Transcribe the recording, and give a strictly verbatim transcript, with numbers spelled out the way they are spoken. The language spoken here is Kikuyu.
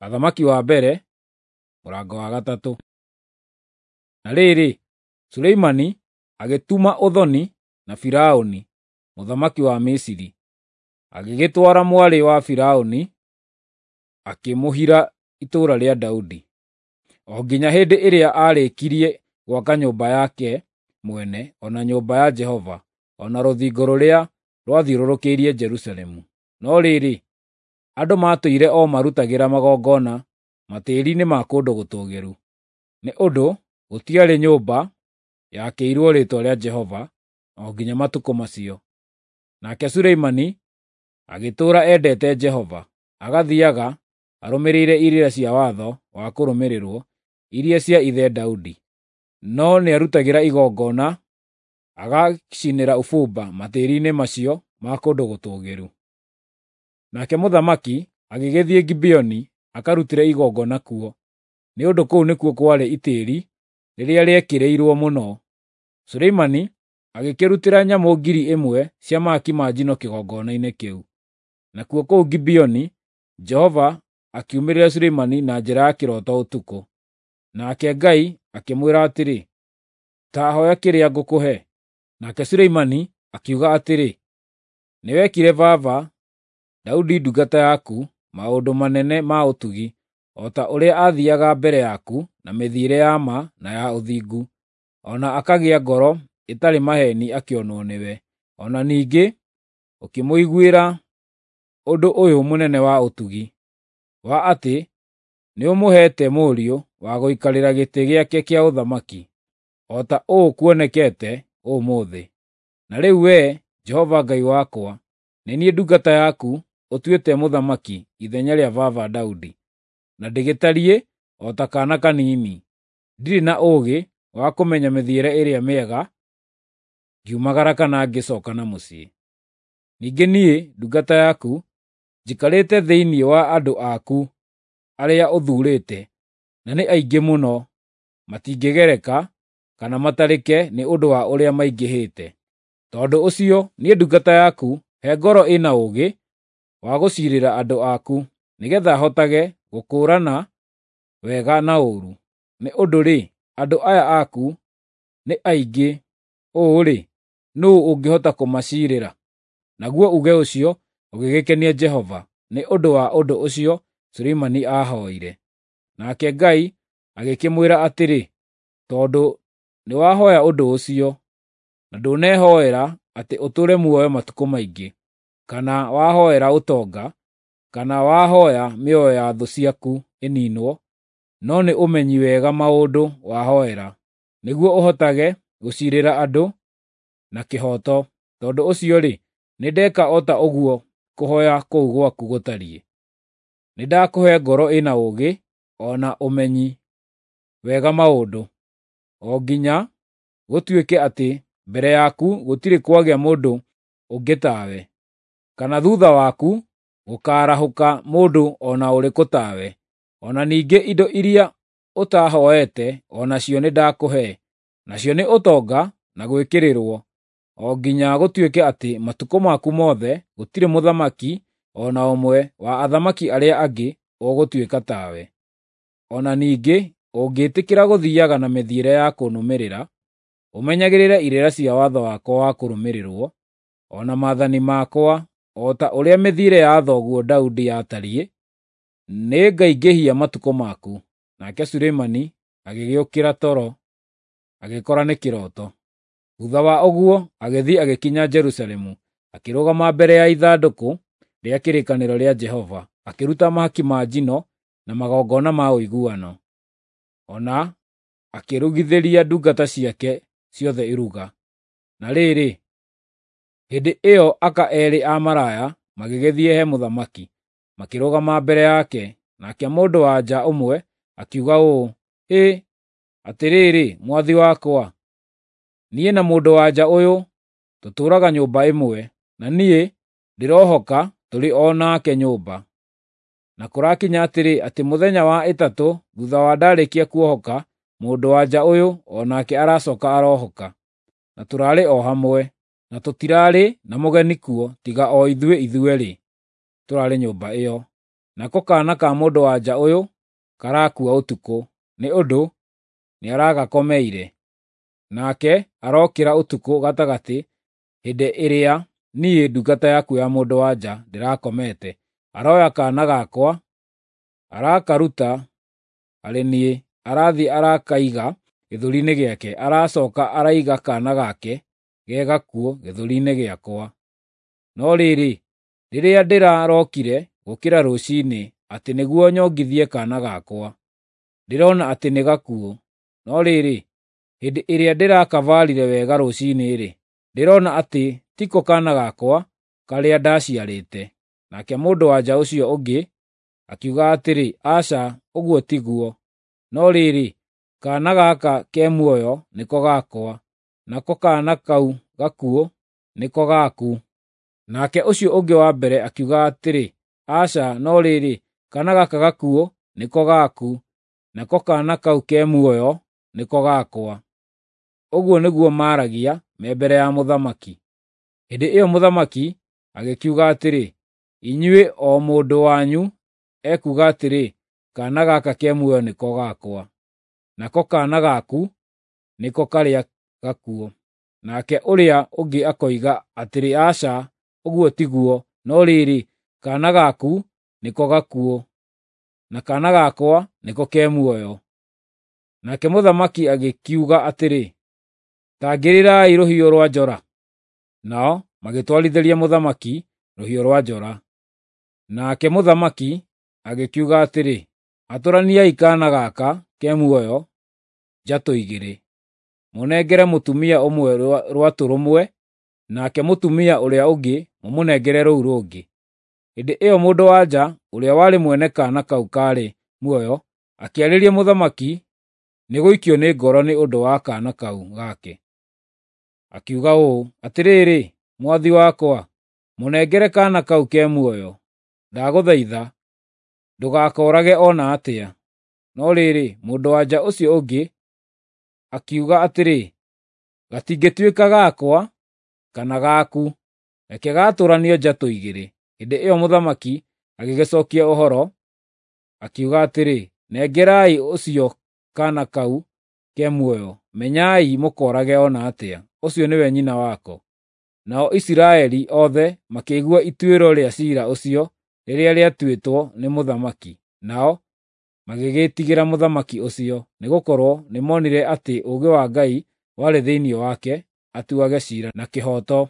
Athamaki wa mbere, mũrango wa gatatũ. Na rĩrĩ, Suleimani agĩtuma ũthoni na Firaũni mũthamaki wa Misiri, agĩgĩtwara mwarĩ wa Firaũni akĩmũhira itũũra rĩa Daudi, o nginya hĩndĩ ĩrĩa aarĩkirie gwaka nyũmba yake mwene o na nyũmba ya Jehova, o na rũthingo rũrĩa rwathiũrũrũkĩirie Jerusalemu. No rĩrĩ, andũ maatũire o marutagĩra magongona matĩĩri-inĩ ma kũndũ gũtũũgĩru, nĩ ũndũ gũtiarĩ nyũmba yakĩirwo Rĩĩtwa rĩa Jehova o nginya matukũ macio. Nake Suleimani agĩtũũra endete Jehova, agathiiaga arũmĩrĩire irĩra cia watho wa kũrũmĩrĩrwo iria cia ithe Daudi, no nĩarutagĩra igongona agacinĩra ũbumba matĩĩri-inĩ macio ma kũndũ gũtũũgĩru. Nake mũthamaki agĩgĩthiĩ Gibeoni akarutĩre igongona kuo, nĩ ũndũ kũu nĩkuo kwarĩ itĩĩri rĩrĩa rĩekĩrĩirwo mũno. Suleimani agĩkĩrutĩra nyamũ ngiri ĩmwe cia mahaki ma njino kĩgongona-inĩ kĩu. Nakuo kũu Gibeoni Jehova akiumĩrĩra Suleimani na njĩra ya kĩroto ũtukũ. Nake Ngai akĩmwĩra atĩrĩ, “Ta hooya kĩrĩa ngũkũhe.” Nake Suleimani akiuga atĩrĩ, “Nĩwekire baba Daudi ndungata yaku maũndũ manene ma ũtugi, o ta ũrĩa aathiiaga mbere yaku na mĩthiĩre ya ma na ya ũthingu, o na akagĩa ngoro ĩtarĩ maheeni akĩonwo nĩwe. O na ningĩ ũkĩmũiguĩra ũndũ ũyũ mũnene wa ũtugi, wa atĩ nĩũmũheete mũriũ wa gũikarĩra gĩtĩ gĩake kĩa ũthamaki, o ta ũũ kuonekete ũmũthĩ. Na rĩu Wee, Jehova Ngai wakwa, nĩ niĩ ndungata yaku ũtuĩte mũthamaki ithenya rĩa baba Daudi, na ndĩgĩtariĩ o ta kaana kanini. Ndirĩ na ũũgĩ wa kũmenya mĩthiĩre ĩrĩa mĩega ngiumagara kana ngĩcooka na mũciĩ. Ningĩ niĩ, ndungata yaku, njikarĩte thĩinĩ wa andũ aku arĩa ũthuurĩte, na nĩ aingĩ mũno, matingĩgereka kana matarĩke nĩ ũndũ wa ũrĩa maingĩhĩte. Tondũ ũcio niĩ ndungata yaku he ngoro ĩna ũũgĩ wa gũciirĩra andũ aku, nĩgeetha hotage gũkũũrana wega na ũũru. Nĩ ũndũ-rĩ, andũ aya aku nĩ aingĩ ũũ-rĩ, nũũ ũngĩhota kũmaciirĩra?” Naguo uuge ũcio ũgĩgĩkenia Jehova nĩ ũndũ wa ũndũ ũcio Suleimani aahooire. Nake Ngai agĩkĩmwĩra atĩrĩ, “Tondũ nĩwahooya ũndũ ũcio, na ndũnehoera atĩ ũtũũre muoyo matukũ maingĩ, kana wahoera ũtonga, kana wahooya mĩoyo ya thũ ciaku ĩniinwo, no nĩ ũmenyi wega maũndũ wahoera, nĩguo ũhotage gũciirĩra andũ na kĩhooto. Tondũ ũcio-rĩ, nĩndeka o ta ũguo kũhooya kũu gwaku gũtariĩ. Nĩndakũhe ngoro ĩna ũũgĩ o na ũmenyi wega maũndũ, o nginya gũtuĩke atĩ mbere yaku gũtirĩ kwagĩa mũndũ ũngĩ tawe, kana thuutha waku gũkaarahũka mũndũ o na ũrĩkũ tawe. O na ningĩ indo iria ũtahooete o nacio nĩndakũhe, nacio nĩ ũtonga na gwĩkĩrĩrwo, o nginya gũtuĩke atĩ matukũ maku mothe gũtirĩ mũthamaki o na ũmwe wa athamaki arĩa angĩ ũgũtuĩka tawe. O na ningĩ ũngĩĩtĩkĩra gũthiiaga na mĩthiĩre ya kũnũmĩrĩra, ũmenyagĩrĩre irĩra cia watho wakwa wa kũrũmĩrĩrwo, o na maathani makwa, o ta ũrĩa mĩthiĩre ya thoguo Daudi yatariĩ, nĩngaingĩhia matukũ maku.” Nake Suleimani agĩgĩũkĩra toro, agĩkora nĩ kĩroto. Thuutha wa ũguo agĩthiĩ agĩkinya Jerusalemu, akĩrũgama mbere ya ithandũkũ rĩa kĩrĩkanĩro rĩa Jehova, akĩruta mahaki ma njino na magongona ma ũiguano, o na akĩrugithĩria ndungata ciake ciothe iruga. Na rĩrĩ, hĩndĩ ĩyo aka eerĩ a maraya magĩgĩthiĩ he mũthamaki, makĩrũgama mbere yake. Nake mũndũ-wa-nja ũmwe akiuga ũũ, “Hĩ, atĩrĩrĩ, mwathi wakwa, niĩ na mũndũ-wa-nja ũyũ tũtũũraga nyũmba ĩmwe, na niĩ ndĩrohoka tũrĩ o nake nyũmba. Na kũrakinya atĩrĩ, atĩ mũthenya wa ĩtatũ thuutha wa ndaarĩkia kuohoka, mũndũ-wa-nja ũyũ o nake aracooka arohoka, na tũraarĩ o hamwe, na tũtirarĩ na mũgeni kuo tiga o ithuĩ ithuerĩ tũraarĩ nyũmba ĩyo. Nako kaana ka mũndũ-wa-nja ũyũ karakua ũtukũ, nĩ ũndũ nĩaragakomeire. Nake arokĩra ũtukũ gatagatĩ hĩndĩ ĩrĩa niĩ ndungata yaku ya mũndũ-wa-nja ndĩrakomete, aroya kaana gakwa, arakaruta harĩ niĩ, arathiĩ arakaiga gĩthũri-inĩ gĩake, aracooka araiga kaana gake ge gakuũ gĩthũri-inĩ gĩakwa. No rĩrĩ, rĩrĩa ndĩrarokire gũũkĩra rũciinĩ atĩ nĩguo nyongithie kaana gakwa, ndĩrona atĩ nĩ gakuũ. No rĩrĩ, hĩndĩ ĩrĩa ndĩrakabaarire wega rũciinĩ-rĩ, ndĩrona atĩ tiko kaana gakwa karĩa ndaciarĩte." Nake mũndũ-wa-nja ũcio ũngĩ akiuga atĩrĩ, "Aca, ũguo tiguo! No rĩrĩ, kaana gaka ke muoyo nĩko gakwa, nako kaana kau gakuũ nĩko gaku." Nake ũcio ũngĩ wa mbere akiuga atĩrĩ, "Aca, no rĩrĩ, kaana gaka gakuũ nĩko gaku, nako kaana kau ke muoyo nĩko gakwa." Ũguo nĩguo maaragia me mbere ya mũthamaki. Hĩndĩ ĩyo mũthamaki agĩkiuga atĩrĩ, "Inyuĩ o mũndũ wanyu ekuuga atĩrĩ, 'Kaana gaka ke muoyo nĩko gakwa, nako kaana gaku nĩko karĩa gakuũ.' Nake ũrĩa ũngĩ akoiga atĩrĩ, 'Aca, ũguo tiguo! No rĩrĩ, kaana gaku nĩko gakuũ, na kaana gakwa nĩko ke muoyo.' Nake mũthamaki agĩkiuga atĩrĩ, "Ta ngĩrĩrai rũhiũ rwa njora." Nao magĩtwarithĩria mũthamaki rũhiũ rwa njora. Nake mũthamaki agĩkiuga atĩrĩ, "Atũraniai kaana gaka ke muoyo njatũ igĩrĩ, mũnengere mũtumia ũmwe rwatũ rũmwe, nake mũtumia ũrĩa ũngĩ mũmũnengere rũu rũngĩ." Hĩndĩ ĩyo mũndũ-wa-nja ũrĩa warĩ mwene kaana kau kaarĩ muoyo akĩarĩria mũthamaki nĩ gũikio nĩ ngoro nĩ ũndũ wa kaana kau gake. Akiuga ũũ, "Atĩrĩrĩ, mwathi wakwa, mũnengere kaana kau ke muoyo. Ndagũthaitha ndũgakoorage o na atĩa." No rĩrĩ, mũndũ-wa-nja ũcio ũngĩ akiuga atĩrĩ, "Gatingĩtuĩka gakwa kana gaku, reke gaatũranio njatũ igĩrĩ." Hĩndĩ ĩyo mũthamaki agĩgĩcookia ũhoro, akiuga atĩrĩ, "Nengerai ũcio kaana kau ke muoyo, menyai mũkoorage o na atĩa, ũcio nĩwe nyina wako." Nao Isiraeli othe makĩigua ituĩro rĩa ciira ũcio rĩrĩa rĩatuĩtwo nĩ mũthamaki, nao magĩgĩĩtigĩra mũthamaki ũcio, nĩgũkorwo nĩmonire atĩ ũũgĩ wa Ngai warĩ thĩinĩ wake atuage ciira na kĩhooto.